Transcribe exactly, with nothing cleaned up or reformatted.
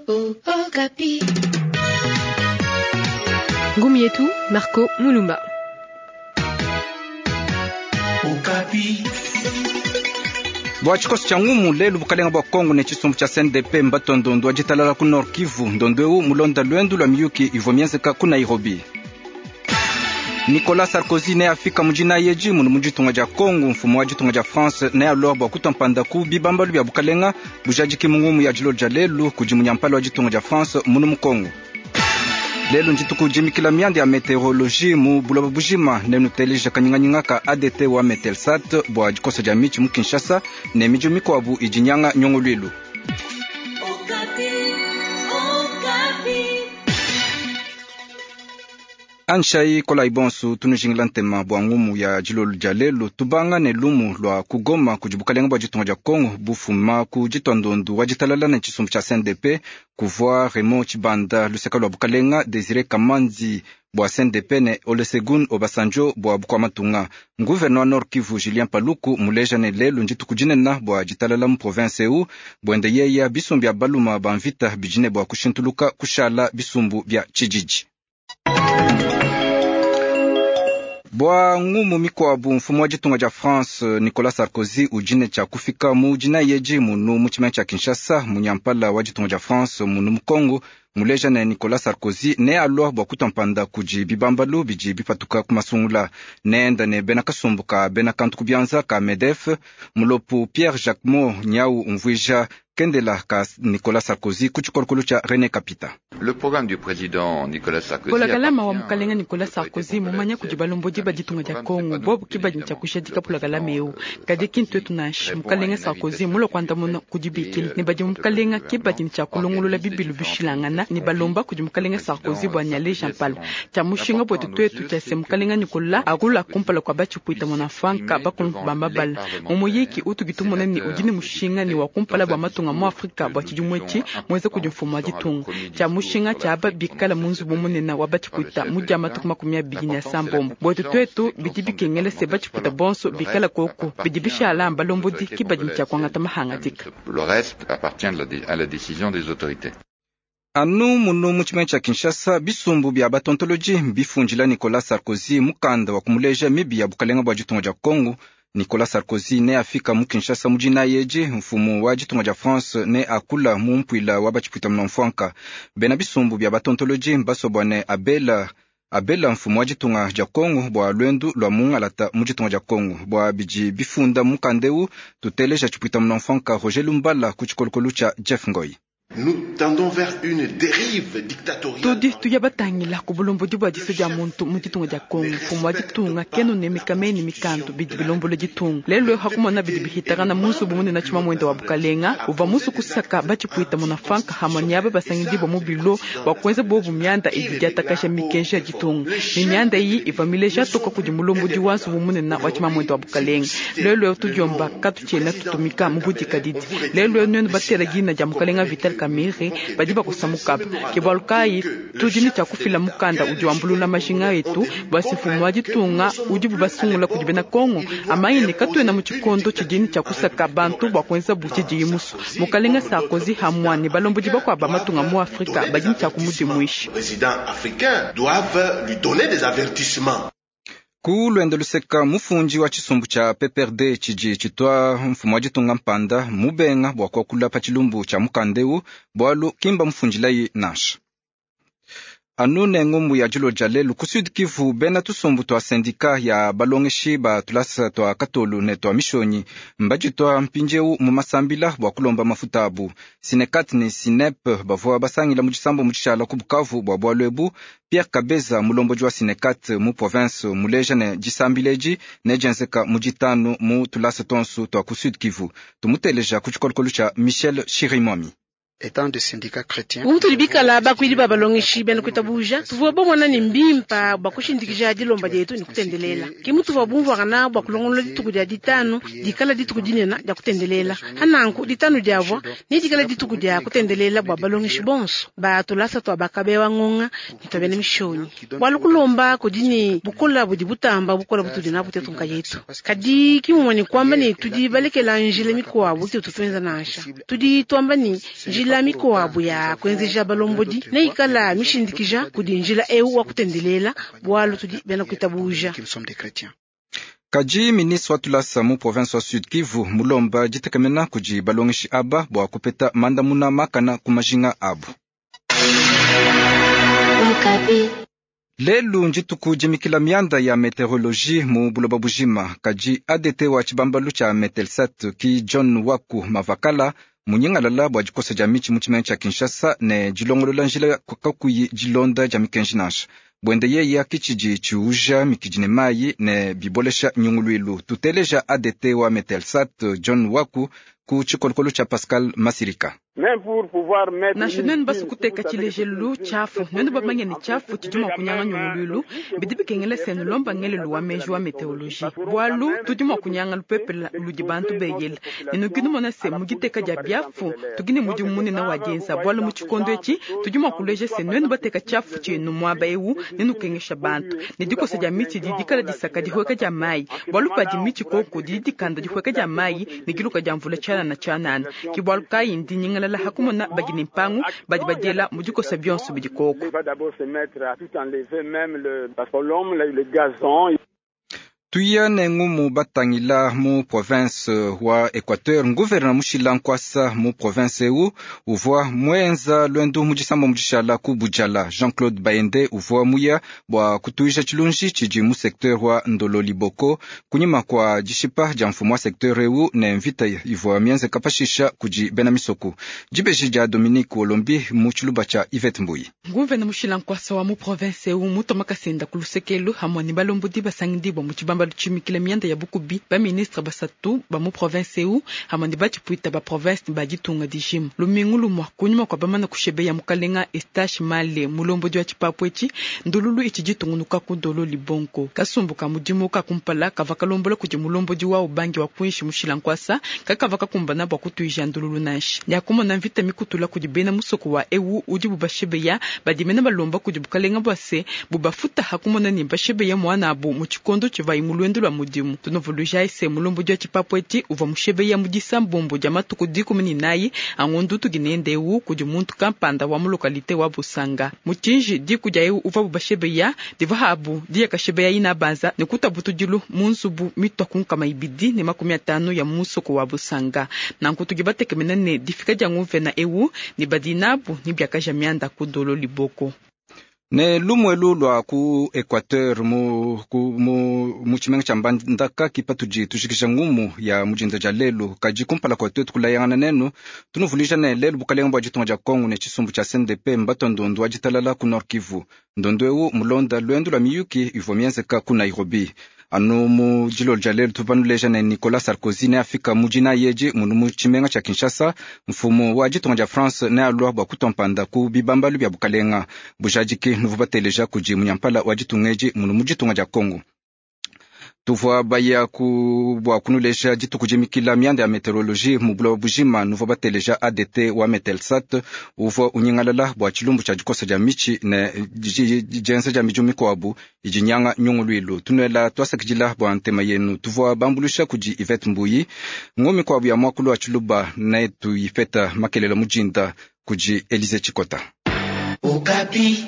Okapi. Ngumi yetu Marco Mulumba. Okapi. Bua tshikoso tshia ngumu lelu bukalenga bua Kongo ne tshisumbu tshia C N D P mbatua ndondo wa ditalala ku Nord Kivu. Ndondo eu mulonda lwendu lua miyuki ivua mienzeka ku Nairobi. Nicolas Sarkozy ne afika mujina yeji munu mu ditunga dia Kongo. Mfumu wa ditunga dia France ne alua bua kutua ku bibambalu bia bukalenga bujadiki mu ngumu ya dilo dia lelu kudi munyampala wa ditunga dia France munu mu Kongo. Lelu ndituku dimikila mianda ya meteorologie mu buloba bujima nenuteleja kanyinganyinga ka A D T wa Metelsat bua dikosa dia mitshi mu Kinshasa ne miji mikuabu idi nyanga nyongoluilu. Anshai kolai bonsu tunujingila ntema bua ngumu ya dilolo dia lelu tubanga ne lumu lua kugoma kudi bukalenga bua ditunga dia Kongo bufuma ku ditua ndondu wa ditalala ne tshisumbu tshia C N D P kuvua Raymond Tshibanda luseka lua bukalenga Desire Kamanzi bua C N D P ne Olusegun Obasanjo bua bukua matunga. Gouverneur Nord Kivu Julien Paluku muleja ne lelu ndituku dinene bua ditalala mu province eu buende yeya bisumbu bia baluma ba mvita bidine bua kushintuluka kushala bisumbu bia tshijiji. Bua ngumu mikuabu mfumu wa ditunga dia France Nicolas Sarkozy ujine tshia kufika mu dina yeji munu mu tshimenga tshia Kinshasa. Munyampala wa ditunga dia France munu mu Kongo muleja ne Nicolas Sarkozy ne alua bua kutua mpanda kudi bibambalu bidi bipatuka ku masungula. Neenda ne bena kasumbu ka bena kantu ku bianza ka MEDEF. Mulopu Pierre Jacquemot nyau umvuija kendela ka Nicolas Sarkozy ku tshikolokolo tshia René Kapita. Le programme du président Nicolas Sarkozy. Pulakalama wa mukalenga Nicolas Sarkozy mumanya kudi balombodi ba ditunga dia Kongo bobu kibadi tshia kushadika pulakalama eu kadi kintu etu nansha mukalenga Sarkozy mulo kuandamuna kudi bikila ne badi mukalenga kibadi tshia kulongolola bibilu bishilangana ne balomba kudi mukalenga Sarkozy bua nyale Jean Paul tshia mushinga bwetu twetu tshia se mukalenga Nicolas akula kumpala kwa batshipuita mwanafanka bakulumba bala mumuyiki utukitumona ni udini mushinga ni wa kumpala bua matunga mu Afrika bua tshidimwetshi mweze kudi mfumu wa ditunga tshia mushinga tshia aba bikala munzu bumunena wa batshipuita mu dia matuku makumi abidi ne asambombo bwetu twetu bidi bikengela se batshipuita bonso bikala koko bidi bishala balombodi kibadi tshia kuangata mahangadika. Le reste appartient à la décision des autorités. Anu munu mu tshimenga tshia Kinshasa bisumbu bia batontoloji bifundila Nicolas Sarkozy mukanda wa kumuleja mibi ya bukalenga bua ditunga dia Kongo. Nicolas Sarkozy ne afika mu Kinshasa mujina yeji mfumu wa ditunga dia France ne akula mu mpuila wa batshipuita munamfuanka. Bena bisumbu bia batontoloji basobua ne abela abela mfumu wa ditunga dia Kongo bua lwendu lua mungalata mu ditunga dia Kongo bua bidi bifunda mukandeu tuteleja tshipuita munamfuanka Roger Lumbala ku tshikolokolo tshia Jeff Ngoi. Nous tendons vers une dérive dictatoriale. Tudi tuya batangila ku bulombodi bua diso dia muntu mu ditunga dia Kongo. Mfumu wa ditunga keno ne mikameni mikandu bidi bilombola ditunga. Lelo hakumona bidi bihitakana musu bumunena tshima mwenda wa bukalenga uva musu kusaka batshipuita munafanka hamwe basangidi bwa mu bilo bua kuenza bobu mianda idi diatakasha mikenji ya ditunga. Ni mianda iyi iva mileja toka kudi mulombodi wa nsubu munena wa tshima mwenda wa bukalenga. Lelo tudiomba katutshiena tutumika mu budikadidi. Lelo nwenu batela dina dia mukalenga Vital Kamerhe badi bakusamukapa ke bualu kayi tudi ne tshia kufila mukanda udi wambulula majinga etu bua se mfumu wa ditunga udi bubasungula kudi bena Kongo amanye ne katuena mu tshikondo tshidi ne tshia kusaka bantu bua kuenza bu tshidiyi musu. Mukalenga Sarkozy hamwa ne balombodi bakuabu ba matunga mu Afrika badi ne tshia kumudimuisha. Présidents africains doivent lui donner des avertissements. Ku lwendo luseka mufundi wa tshisumbu tshia P P R D tshidi tshitua mfumu wa ditunga mpanda mubenga bua kuakula pa tshilumbu tshia mukandeu bualu kimba mufundilayi nansha. Anu ne ngumbu ya dilo dia lelu ku Sud Kivu bena tusumbu tua sendika ya balongeshi ba tulasa tua katolu ne tua mishonyi mbaditua mpindieu mu masambila bua kulomba mafuta abu. Sinekat ne Sinep bavua basangila mu disambo mu tshishala ku Bukavu bua bualu ebu. Pierre Kabeza mulombodi wa Sinekat mu province muleja ne disambila edi ne dienzeka mu ditanu mu tulasa tonsu tua ku Sud Kivu. Tumuteleja ku tshikolokolo tshia Michel Chirimwami. Umutuli bikala bakwidi ba balongeshi bena kuitabuja tuvua bomona ni mbimpa bua kushindikija dilomba dietu ni kutendelela kimu tuvua bumvuakana bua kulongolola dituku dia ditanu dikala dituku dinene dia kutendelela hananku ditanu diavua ni dikala dituku dia kutendelela bua balongeshi bonso batulasa tua bakabewa ngonga ni tua bena mishonyi bualu kulomba kudi ni bukola budi butamba bukola butudi nabu tetu nkayetu kadi kimumua ni kwamba ni tudi balekela njila mikuabu tetu tuenza nansha tudi tuamba ni njila Njila mikuabu ya kuenzeja balombodi neikala mishindikija kudi njila eu wa kutendelela bwalu tudi bena kuitabuja. Kaji ministre wa tulasa mu province wa Sud Kivu mulomba ditekemena kudi balongeshi aba bua kupeta mandamuna makana ku majinga abu. Lelu ndituku dimikila mianda ya meteorologie mu buloba bujima. Kaji A D T wa tshibambalu tshia Metelsat ki John Waku Mavakala munyingalala bua dikosa dia mitshi mu tshimenga tshia Kinshasa ne dilongolola njila kakuyi dilonda dia mikenji nansha. Bwende yeye kitshidi tshiuja mikidi ne mayi ne bibolesha nyunguluilu. Tuteleja A D T wa Metelsat John Waku ku tshikolokolo tshia Pascal Masirika. Nansha nuenu basukuteka tshilejelu tshiafu nuenu bamanye ne tshiafu tshidi mua kunyanga nyunguluilu bidi bikengela se nulomba ngelelu wa meji wa meteorologie bwalu tudi mua kunyanga lupepele ludi bantu beyela ne nukinu mona se muditeka dia biafu tukine mudimu munene wa dienza bwalu mu tshikondo etshi tudi mua kuleja se nuenu bateka tshiafu tshienu muaba ewu ne nukengesha bantu ne dikosa dia mitshi didi dikala disaka dihweka dia mayi bwalu padi mitshi koko didi dikanda dihweka dia mayi ne kiluka dia mvula tshianana tshianana ke bwalu kayi ndi nyingalala hakumona badi ne mpangu badi badiela mu dikosa bionso bidi koko. Tuya ne ngumu batangila mu province wa Equateur gouverneur mushila nkwasa mu province eu uvua mwenza lwendu mu disamba mu dishala ku Budjala. Jean-Claude Bayende uvua muya bua kutuisha tshilunji tshidi mu secteur wa Ndolo Liboko kunyima kwa dishipa dia mfumu wa secteur eu ne mvita ivua mienzeka pashisha kudi bena misoko. Dibeji dia Dominique Olombi mu tshiluba tshia Yvette Mbuyi. Gouverneur mushila nkwasa wa mu province eu mutoma kasenda ku lusekelu hamwe ne balombodi basangidibwa mu tshibamba baluchimikila mianda ya bukubi ba ministre basatu ba mu province eu hamwe ne batshipuita ba province ne baditunga dijima lumingu lumwa kunyuma kwa bamana kushebeya mukalenga Estache Male mulombodi wa tshipapu etshi ndululu itshi ditungunuka ku Ndolo Libongo kasumbu ka mudimu ka kumpala kava kalombola kudi mulombodi wa ubangi wa kuinshi mushila nkwasa kakava kakumbana bua kutuija ndululu nansha yakumona mvita mikutula kudi bena musoko wa eu udi bubashebeya badimena balomba kudi bukalenga bua se bubafuta hakumona ne bashebeya mwana abu mu tshikondo tshivayi mulwendo lwa mudimu. Tunovuluja ese mulombo dia tshipapu etshi uvua mushebeya mu disambombo dia matuku dikumi ne nayi angondu tuginende eu kudi muntu kampanda wa mu lokalite wa Busanga mutshinji diku dia eu uvua bubashebeya diva habu diyakashebeya ina banza ne kutabutudilu mu nzubu mitwa kunkama ibidi ne makumi atanu ya musoko wa Busanga. Nanku tugi batekemena ne difika dia nguvena eu ne badinabu ne biakaja mianda ku Ndolo Liboko. Ne lumwelu lwa ku Equateur mu ku mu mu tshimenga tshia Mbandaka kipatudi tujikija ngumu ya mujinda dia lelu kaji kumpala kwa twetu kulayangana nenu tunuvulija ne lelu bukalenga bua ditunga dia Kongo ne tshisumbu tshia C N D P mbato ndondu wa ditalala ku Nord Kivu ndondu eu mulonda lwendu lwa miyuki ivua mienzeka ku Nairobi. Anu mu dilolo dia lelu tuvanuleja ne Nicolas Sarkozy ne afika mujina yeji munu mu tshimenga tshia Kinshasa mfumu wa ditunga dia France ne alua bua kutompanda ku bibambalu bia bukalenga bujadiki nuvu bateleja kudi munyampala wa ditunga edi munu mu ditunga dia Kongo. Tuvua baya ku bua kunuleja dituku dimikila mianda ya meteorologie mu buloba bujima nuvua bateleja A D T wa Metelsat uvua unyingalala bua tshilumbu tshia dikosa dia mitshi ne dienza dia midimu mikuabu idi nyanga nyunguluilu. Tunuela tuasakidila bua ntema yenu tuvua bambulusha kudi Yvette Mbuyi ngo mikuabu ya muakulu wa tshiluba ne tuyipeta makelela mujinda kudi Elize Chikota. Okapi.